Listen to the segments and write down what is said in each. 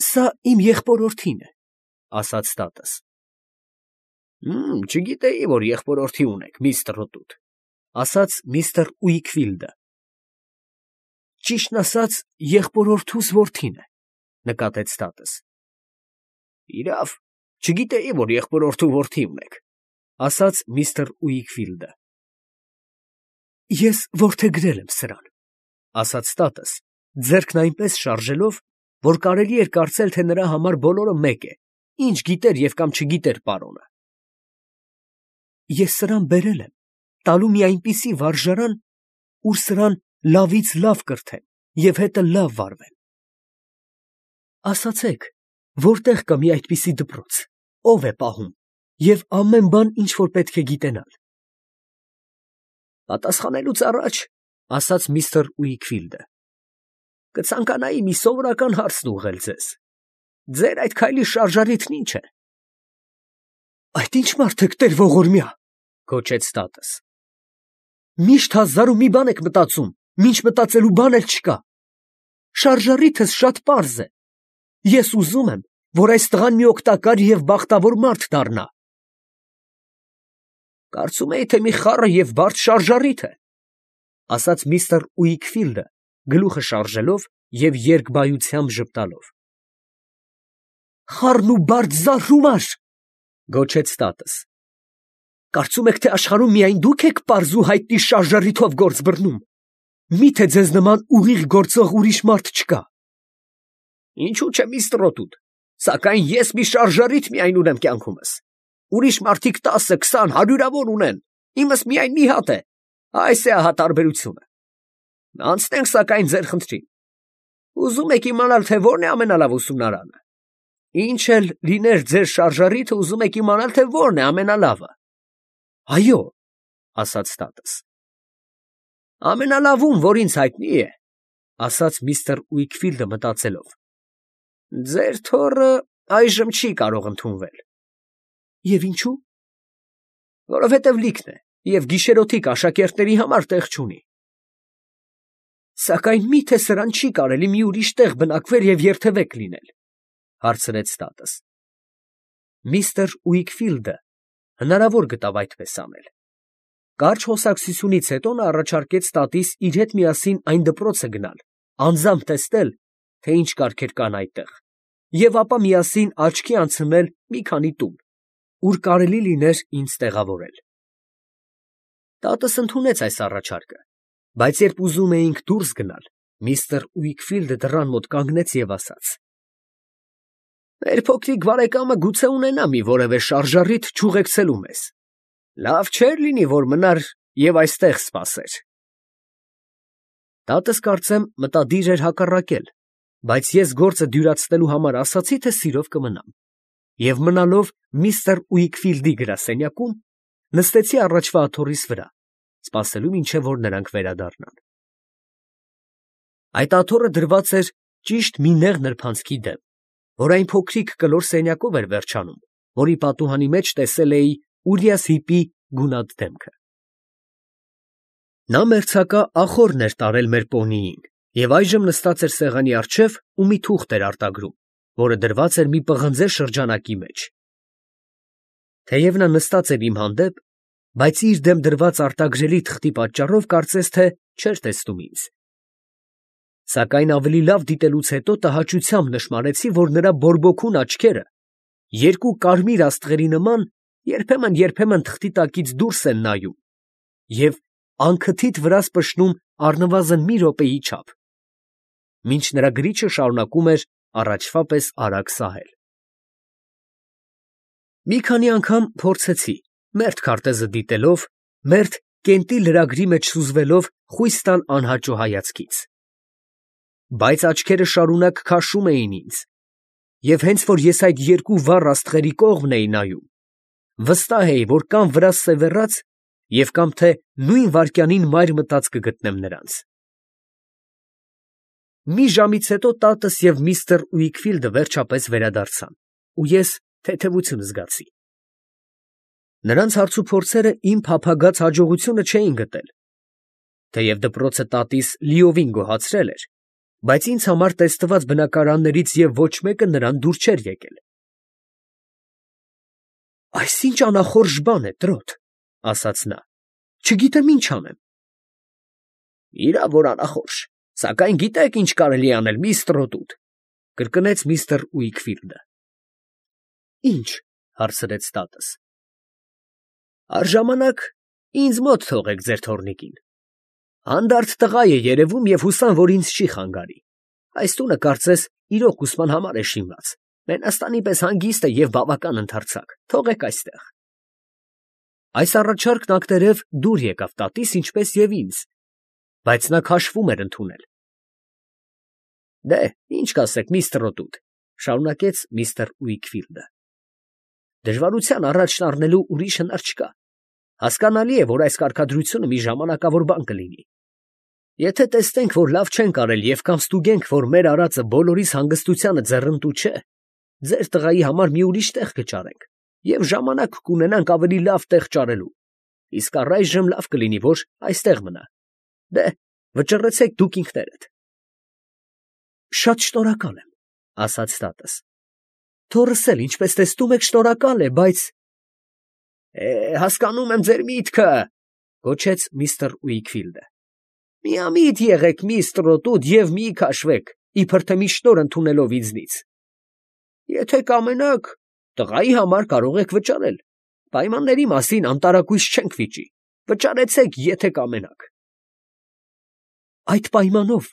Սա իմ եղբորորդին է, ասաց տատս։ Չգիտեի, որ եղբորորդի ունեք, միստր Ռոտութ, ասաց միստր Ուիքֆիլդը։ Ճիշտն ասած, եղբորորդուս որդին է, նկատեց տատս։ Իրավ, չգիտեի, որ եղբորորդու որդի ունեք, ասաց միստր Ուիքֆիլդը։ Ես որդեգրել եմ սրան, ասաց տատս, ձեռքն այնպես շարժելով, որ կարելի էր կարծել, թե նրա համար բոլորը մեկ է, ինչ գիտեր և կամ չգիտեր պարոնը։ Ես սրան բերել եմ, տալու մի այնպիսի վարժարան, ուր սրան լավից լավ կրթեն և հետը լավ վարվեն։ Ասացեք, որտեղ կա մի այդպիսի դպրոց, ով է պահում և ամեն բան, ինչ որ պետք է գիտենալ։ Պատասխանելուց առաջ, ասաց միստր Ուիքֆիլդը, կցանկանայի մի սովորական հարցն ուղղել ձեզ. ձեր այդ քայլի շարժառիթն ի՞նչ է։ Այդ ի՞նչ մարդ եք, տեր ողորմյա, գոչեց տատս։ Միշտ հազար ու մի բան եք մտածում, մինչ մտածելու բան էլ չկա։ Շարժառիթս շատ պարզ է։ Ես ուզում եմ, որ այս տղան մի օգտակար և բախտավոր մարդ դառնա։ Կարծում էի, թե մի խառը և բարդ շարժառիթ է, ասաց միստր Ուիքֆիլդը, գլուխը շարժելով և երկբայությամբ ժպտալով։ Խառն ու բարդ զարհումար, գոչեց տատս։ Կարծում եք, թե աշխարհում միայն դուք եք պարզ ու հայտնի շարժառիթով գործ բռնում։ Մի՞թե ձեզ նման ուղիղ գործող ուրիշ մարդ չկա։ Ինչու՞ չէ, միստր Ռոտութ, սակայն ես մի շարժառիթ միայն ունեմ կյանքումս։ Ուրիշ մարդիկ 10, 20, հարյուրավոր ունեն, իմս միայն մի հատ է, այս է ահա տարբերությունը։ Անցնենք սակայն ձեր խնդրին։ Ուզում եք իմանալ, թե որն է ամենալավ ուսումնարանը։ Ինչ էլ լիներ ձեր շարժառիթը, ուզում եք իմանալ, թե որն է ամենալավը։ Այո, ասաց տատս։ Ամենալավում, որ ինձ հայտնի է, ասաց միստր Ուիքֆիլդը մտածելով։ Ձեր թոռը այժմ չի կարող ընդունվել։ Եվ ինչու։ Որովհետև լիքն է և գիշերօթիկ աշակերտների համար տեղ չունի։ Սակայն մի՞թե սրան չի կարելի մի ուրիշ տեղ բնակվել և երթևեկ լինել, հարցրեց տատս։ Միստր Ուիքֆիլդը հնարավոր գտավ այդպես անել։ Կարճ խոսակցությունից հետո նա առաջարկեց տատիս իր հետ միասին այն դպրոցը գնալ, անձամբ տեսնել, թե ինչ կարգեր կան այդտեղ, և ապա միասին աչքի անցնել մի քանի տուն, ուր կարելի լիներ ինձ տեղավորել։ Տատս ընդունեց այս առաջարկը, բայց երբ ուզում էինք դուրս գնալ, միստր Ուիքֆիլդը դռան մոտ կանգնեց և ասաց. Մեր փոքրիկ բարեկամը գուցե ունենա մի որևէ շարժառիթ չուղեկցելու մեզ։ Լավ չէր լինի, որ մնար և այստեղ սպասեր։ Տատս կարծեմ մտադիր էր հակառակել, բայց ես գործը դյուրացնելու համար ասացի, թե սիրով կմնամ, և մնալով միստր Ուիքֆիլդի գրասենյակում, նստեցի առաջվա աթոռիս վրա, սպասելու մինչև որ նրանք վերադառնան։ Այդ աթոռը դրված էր ճիշտ մի նեղ նրբանցքի դեմ, որ այն փոքրիկ կլոր սենյակով էր վերջանում, որի պատուհանի մեջ տեսել էի Ուրիաս Հիպի գունատ դեմքը։ Նա մերձակա ախոռն էր տարել մեր պոնիին և այժմ նստած էր սեղանի առջև ու մի թուղթ էր արտագրում, որը դրված էր մի պղնձե շրջանակի մեջ։ Թեև նա նստած էր իմ հանդեպ, բայց իր դեմ դրված արտագրելի թղթի պատճառով կարծես թե չէր տեսնում ինձ։ Սակայն ավելի լավ դիտելուց հետո տհաճությամբ նշմարեցի, որ նրա բորբոքուն աչքերը, երկու կարմիր աստղերի նման, երբեմն թղթի տակից դուրս են նայում և անքթիթ վրաս պշնում առնվազն մի րոպեի չափ, մինչ նրա գրիչը շարունակում էր առաջվա պես արագ սահել։ Մի քանի անգամ փորձեցի, մերթ քարտեզը դիտելով, մերթ կենտի լրագրի մեջ սուզվելով խույս տալ անհաճո հայացքից։ Բայց աչքերը շարունակ քաշում էին ինձ, և հենց որ ես այդ երկու վառ աստղերի կողմն էի նայում, վստահ էի, որ կամ վրաս սևեռած և կամ թե նույն վայրկյանին մայր մտած կգտնեմ նրանց։ Մի ժամից հետո տատս և միստր Ուիքֆիլդը վերջապես վերադարձան, ու ես թեթևություն զգացի։ Նրանց հարցուփորձերը իմ փափագած հաջողությունը չէին գտել։ Թեև դպրոցը տատիս լիովին գոհացրել էր, բայց ինձ համար տեստված բնակարաններից և ոչ մեկը նրան դուր չէր եկել։ «Այս ի՞նչ անախորժ բան է, trot, ֊ ասաց նա, ֊ չգիտեմ ինչ անեմ»։ «Իրավ որ անախորժ, սակայն գիտեք ինչ կարելի է անել, միստր Տրոտուտ, ֊ կրկնեց միստր Ուիքֆիլդը։ «Ի՞նչ, ֊ հարցրեց տատս։ ֊ Առժամանակ ինձ մոտ թողեք ձեր թոռնիկին. հանդարտ տղա է երևում և հուսամ, որ ինձ չի խանգարի։ Այս տունը կարծես իրոք ուսման համար է շինված, մենաստանի պես հանգիստ է և բավական ընդարձակ, թողեք այստեղ»։ Այս առաջարկն ակտերև դուր եկավ տատիս, ինչպես և ինձ, բայց նա քաշվում էր ընդունել։ «Դե, ինչ կասեք, միստր Տրոտուտ, ֊ շարունակեց միստր Ուիքֆիլդը, ֊ դժվարության առաջ շարժելու ուրիշ հնար չկա։ Հասկանալի է, որ այս կարգադրությունը մի ժամանակավոր բան կլինի։ Եթե տեսնենք, որ լավ չենք արել և կամ ստուգենք, որ մեր արածը բոլորիս հանգստությանը ձեռնտու չէ, ձեր տղայի համար մի ուրիշ տեղ կճարենք և ժամանակ կունենանք ավելի լավ տեղ ճարելու, իսկ առայժմ լավ կլինի, որ այստեղ մնա։ Դե, վճռեցեք դուք ինքներդ»։ «Շատ շնորհակալ եմ, ֊ ասաց տատս, ֊ թոռս էլ, ինչպես տեսնում եք, շնորհակալ է, բայց…» «Հասկանում եմ ձեր միտքը, ֊ գոչեց միստր Ուիքֆիլդը, ֊ միամիտ եղեք, միստր Տրոտուտ, և մի քաշվեք, իբր թե մի շնորհ ընդունելով ինձնից։ Եթե կամենաք, տղայի համար կարող եք վճարել, պայմանների մասին անտարակույս չենք վիճի, վճարեցեք, եթե կամենաք»։ «Այդ պայմանով,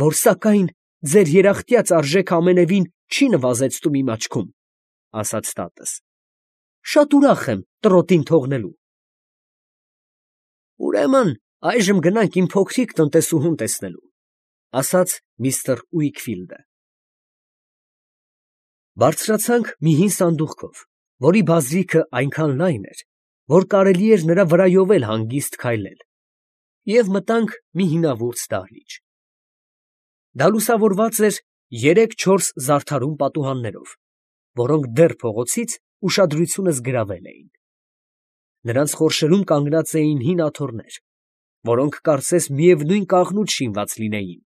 որ սակայն ձեր երախտյաց արժեքը ամենևին չի նվազեցնում իմ աչքում, ֊ ասաց տատս, ֊ շատ ուրախ եմ Տրոտին թողնելու»։ «Ուրեմն այժմ գնանք իմ փոքրիկ տնտեսուհուն տեսնելու, ֊ ասաց միստր Ուիքֆիլդը։ Բարձրացանք մի հին սանդուղքով, որի բազրիքը այնքան լայն էր, որ կարելի էր նրա վրայով էլ հանգիստ քայլել, և մտանք մի հինավուրց դահլիճ։ Դա լուսավորված էր 3-4 զարդարուն պատուհաններով, որոնք դեռ փողոցից ուշադրությունս գրավել էին։ Նրանց խորշերում կանգնած էին հին աթոռներ, որոնք կարծես միևնույն կաղնուց շինված լինեին,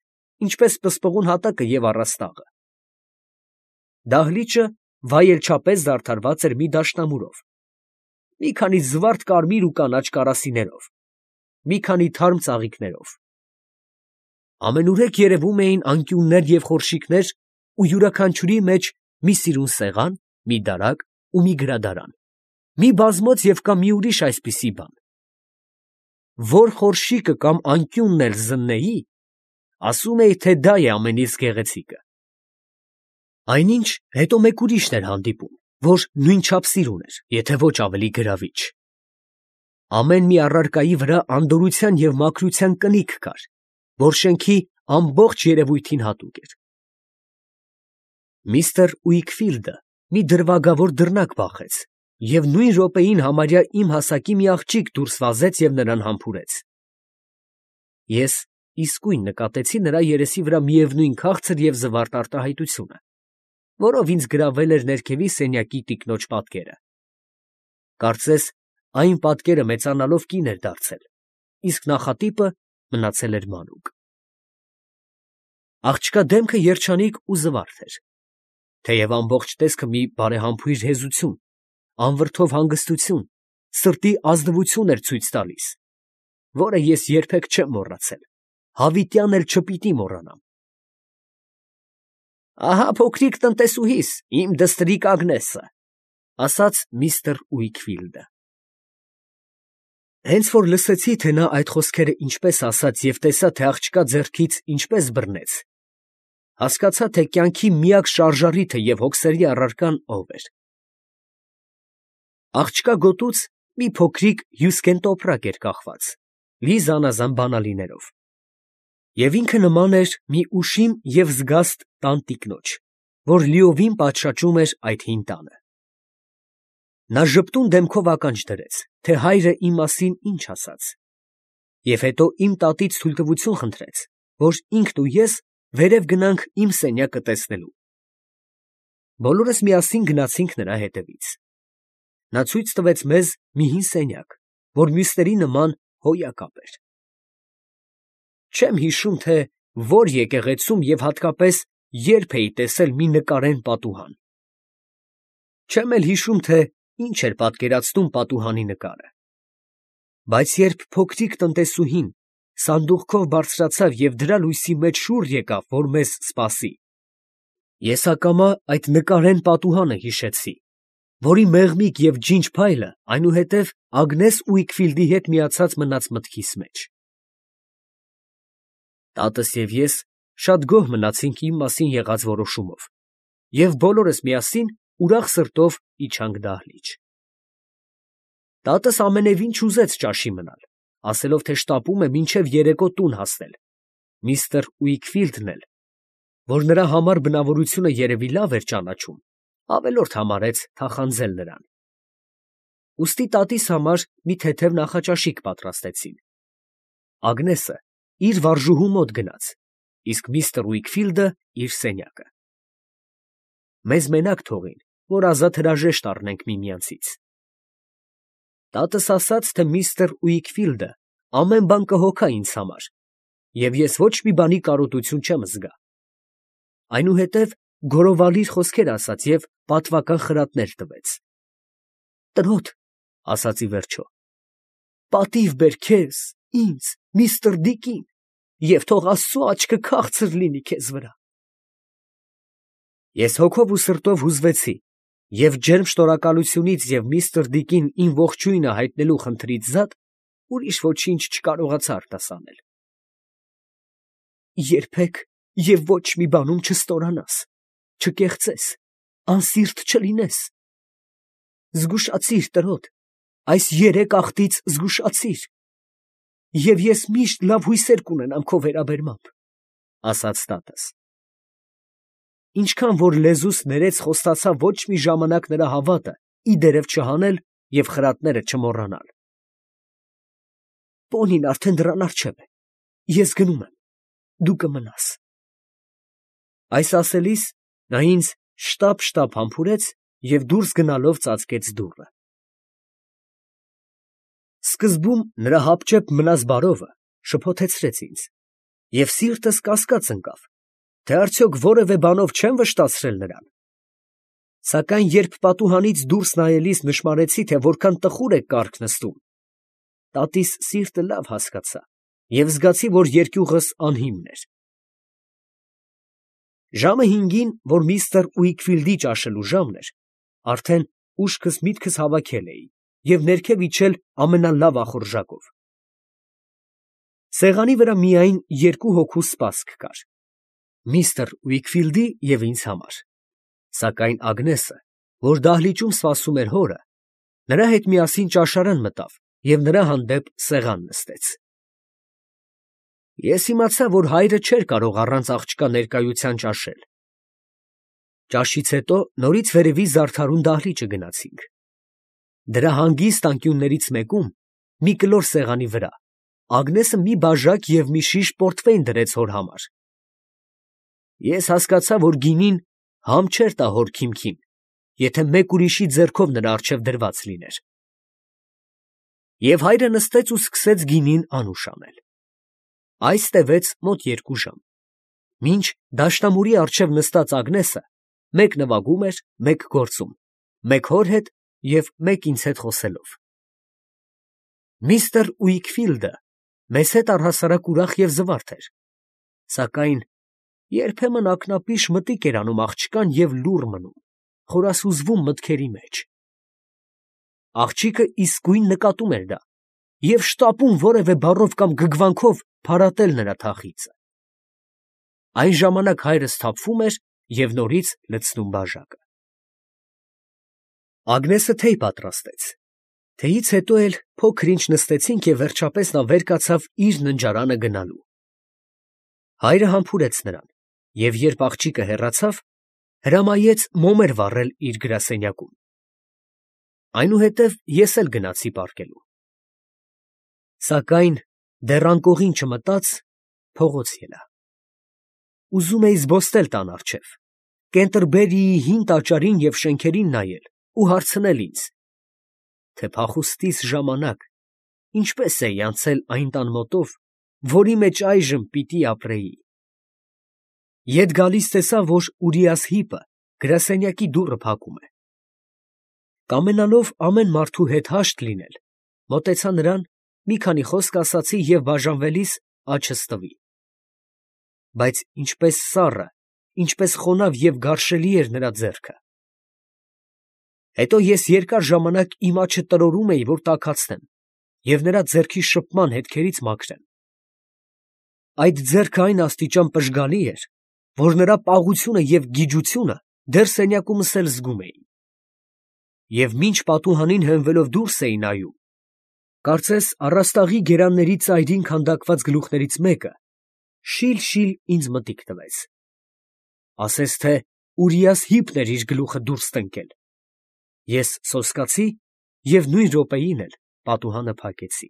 ինչպես պսպղուն հատակը և առաստաղը։ Դահլիճը վայելչապես զարդարված էր մի դաշնամուրով, մի քանի զվարթ կարմիր ու կանաչ կարասիներով, մի քանի թարմ ծաղիկներով։ Ամենուրեք երևում էին անկյուններ և խորշիկներ ու յուրաքանչյուրի մեջ մի սիրուն սեղան, մի դարակ ու մի գրադարան, մի բազմոց և կամ մի ուրիշ այսպիսի բան։ Որ խորշիկը կամ անկյունն էլ զննեի, ասում էի, թե դա է ամենից գեղեցիկը։ Այնինչ հետո մեկ ուրիշն էր հանդիպում, որ նույնչափ սիրուն էր, եթե ոչ ավելի գրավիչ։ Ամեն մի առարկայի վրա անդորրության և մաքրության կնիք կար, որ շենքի ամբողջ երևույթին հատուկ էր։ Միստր Ուիքֆիլդը մի դրվագավոր դռնակ բախեց և նույն րոպեին համարյա իմ հասակի մի աղջիկ դուրս վազեց և նրան համբուրեց։ Ես իսկույն նկատեցի նրա երեսի վրա միևնույն քաղցր և զվարթ արտահայտությունը, որով ինձ գրավել էր ներքևի սենյակի տիկնոջ պատկերը։ Կարծես այն պատկերը մեծանալով կին էր դարձել, իսկ նախատիպը մնացել էր մանուկ։ Աղջկա դեմքը երջանիկ ու զվարթ էր, թեև ամբողջ տեսքը մի բարեհամբույր հեզություն, անվրդով հանգստություն, սրտի ազնվություն էր ցույց տալիս, որը ես երբեք չեմ մոռացել, հավիտյան էլ չպիտի մոռանամ։ «Ահա փոքրիկ տնտեսուհիս, իմ դստրիկ Ագնեսը, ֊ ասաց միստր Ուիքֆիլդը։ Հենց որ լսեցի, թե նա այդ խոսքերը ինչպես ասաց և տեսա, թե աղջկա ձեռքից ինչպես բռնեց, հասկացա, թե կյանքի միակ շարժառիթը և հոգսերի առարկան ով էր։ Աղջկա գոտուց մի փոքրիկ հյուսկեն տոպրակ էր կախված, լի զանազան բանալիներով, և ինքը նման էր մի ուշիմ և զգաստ տան տիկնոջ, որ լիովին պատշաճում էր այդ հին տանը։ Նա ժպտուն դեմքով ականջ դրեց, թե հայրը իմ մասին ինչ ասաց, և հետո իմ տատից թույլտվություն խնդրեց, որ ինքն ու ես վերև գնանք իմ սենյակը տեսնելու։ Բոլորս միասին գնացինք նրա հետևից։ Նա ցույց տվեց մեզ մի հին սենյակ, որ մյուսների նման հոյակապ էր։ Չեմ հիշում, թե որ եկեղեցում և հատկապես երբ էի տեսել մի նկարեն պատուհան։ Չեմ էլ հիշում, թե ինչ էր պատկերացնում պատուհանի նկարը։ Բայց երբ փոքրիկ տնտեսուհին սանդուղքով բարձրացավ և դրա լույսի մեջ շուռ եկավ, որ մեզ սպասի, ես ակամա այդ նկարեն պատուհանը հիշեցի, որի մեղմիկ և ջինջ փայլը այնուհետև Ագնես Ուիկֆիլդի հետ միացած մնաց մտքիս մեջ։ Տատս և ես շատ գոհ մնացինք իմ մասին եղած որոշումով և բոլորս միասին ուրախ սրտով իջանք դահլիճ։ Տատս ամենևին չուզեց ճաշի մնալ, ասելով, թե շտապում է մինչև երեկո տուն հասնել, միստր Ուիկֆիլդն էլ, որ նրա համար բնավորությունը երևի լավ էր ճանաչում, ավելորդ համարեց թախանձել նրան։ Ուստի տատիս համար մի թեթև նախաճաշիկ պատրաստեցին։ Ագնեսը իր վարժուհու մոտ գնաց, իսկ միստր Ուիկֆիլդը իր սենյակը։ Մեզ մենակ թողին, որ ազատ հրաժեշտ առնենք միմյանցից։ Տատս ասաց, թե միստր Ուիկֆիլդը ամեն բան կհոգա ինձ համար, և ես ոչ մի բանի կարոտություն չեմ զգա։ Այնուհետև գոռովալիր խոսքեր ասաց և պատվական խրատներ տվեց։ Տրոտ, ասաց ի վերջո, պատիվ բեր քեզ, ինձ, միստր Դիկին, և թող Աստծու աչքը քաղցր լինի քեզ վրա։ Ես հոգով ու սրտով հուզվեցի և ջերմ շնորհակալությունից և միստր Դիկին իմ ողջույնը հայտնելու խնդրից զատ ուրիշ ոչինչ չկարողացա արտասանել։ Երբեք և ոչ մի բանում չստորանաս, չկեղծես, անսիրտ չլինես։ Զգուշացիր, տրոտ, այս երեք աղտից զգուշացիր, և ես միշտ լավ հույսեր կունենամ քո վերաբերմամբ, ֊ ասաց տատս։ Ինչքան որ լեզուս ներեց խոստացա ոչ մի ժամանակ նրա հավատը ի դերև չհանել և խրատները չմոռանալ։ Պոնին արդեն դռան առջև է, ես գնում եմ, դու կմնաս։ Այս ասելիս նա ինձ շտապ համբուրեց և դուրս գնալով ծածկեց դուռը։ Սկզբում նրա հապճեպ մնաս բարովը շփոթեցրեց ինձ, և սիրտս կասկած ընկավ, թե արդյոք որևէ բանով չեմ վշտացրել նրան։ Սակայն երբ պատուհանից դուրս նայելիս նշմարեցի, թե որքան տխուր է կառք նստում, տատիս սիրտը լավ հասկացա և զգացի, որ երկյուղս անհիմն էր։ Ժամը 5-ին, որ միստր Ուիկֆիլդի ճաշելու ժամն էր, արդեն ուշքս միտքս հավաքել էի և ներքև իջել ամենալավ ախորժակով։ Սեղանի վրա միայն երկու հոգու սպասք կար, միստր Ուիկֆիլդի և ինձ համար, սակայն Ագնեսը, որ դահլիճում սպասում էր հորը, նրա հետ միասին ճաշարան մտավ և նրա հանդեպ սեղան նստեց։ Ես իմացա, որ հայրը չէր կարող առանց աղջկա ներկայության ճաշել։ Ճաշից հետո նորից վերևի զարդարուն դահլիճը գնացինք։ Դրա հանգիստ անկյուններից մեկում, մի կլոր սեղանի վրա, Ագնեսը մի բաժակ և մի շիշ պորտվեյն դրեց հոր համար։ Ես հասկացա, որ գինին համ չէր տա հոր քիմքին, եթե մեկ ուրիշի ձեռքով նրա առջև դրված լիներ։ Եվ հայրը նստեց ու սկսեց գինին անուշ անել։ Այս տևեց մոտ 2 ժամ, մինչ դաշնամուրի առջև նստած Ագնեսը մեկ նվագում էր, մեկ գործում, մեկ հոր հետ և մեկ ինձ հետ խոսելով։ Միստր Ուիկֆիլդը մեզ հետ առհասարակ ուրախ և զվարթ էր, սակայն երբեմն ակնապիշ մտիկ էր անում աղջկան և լուռ մնում, խորասուզվում մտքերի մեջ։ Աղջիկը իսկույն նկատում էր դա և շտապում որևէ բառով կամ գգվանքով փարատել նրա թախիծը։ Այն ժամանակ հայրս սթափվում էր և նորից լցնում բաժակը։ Ագնեսը թեյ պատրաստեց։ Թեյից հետո էլ փոքր ինչ նստեցինք և վերջապես նա վեր կացավ իր ննջարանը գնալու։ Հայրը համբուրեց նրան և երբ աղջիկը հեռացավ, հրամայեց մոմեր վառել իր գրասենյակում։ Այնուհետև ես էլ գնացի պառկելու։ Սակայն դեռ անկողին չմտած, փողոց ելա։ Ուզում էի զբոսնել տան առջև, Կենտերբերիի հին տաճարին և շենքերին նայել ու հարցնել ինձ, թե փախուստիս ժամանակ ինչպես էի անցել այն տան մոտով, որի մեջ այժմ պիտի ապրեի։ Ետ գալիս տեսա, որ Ուրիաս հիպը գրասենյակի դուռը փակում է։ Կամենալով ամեն մարդու հետ հաշտ լինել, մոտեցա նրան, մի քանի խոսք ասացի և բաժանվելիս աչս տվի։ Բայց ինչպես սառը, ինչպես խոնավ և գարշելի էր նրա ձեռքը։ Հետո ես երկար ժամանակ իմ աչը տրորում էի, որ տաքացնեմ և նրա ձեռքի շփման հետքերից մաքրեմ։ Այդ ձեռքը այն աստիճան պժգալի էր, որ նրա պաղությունը և գիջությունը դեռ սենյակումս էլ զգում էի։ Եվ մինչ պատուհանին հենվելով դուրս էի նայում, կարծես առաստաղի գերանների ծայրին քանդակված գլուխներից մեկը շիլ֊շիլ ինձ մտիկ տվեց։ Ասես թե Ուրիաս հիպն էր իր գլուխը դուրս տնկել։ Ես սոսկացի և նույն րոպեին էլ պատուհանը փակեցի։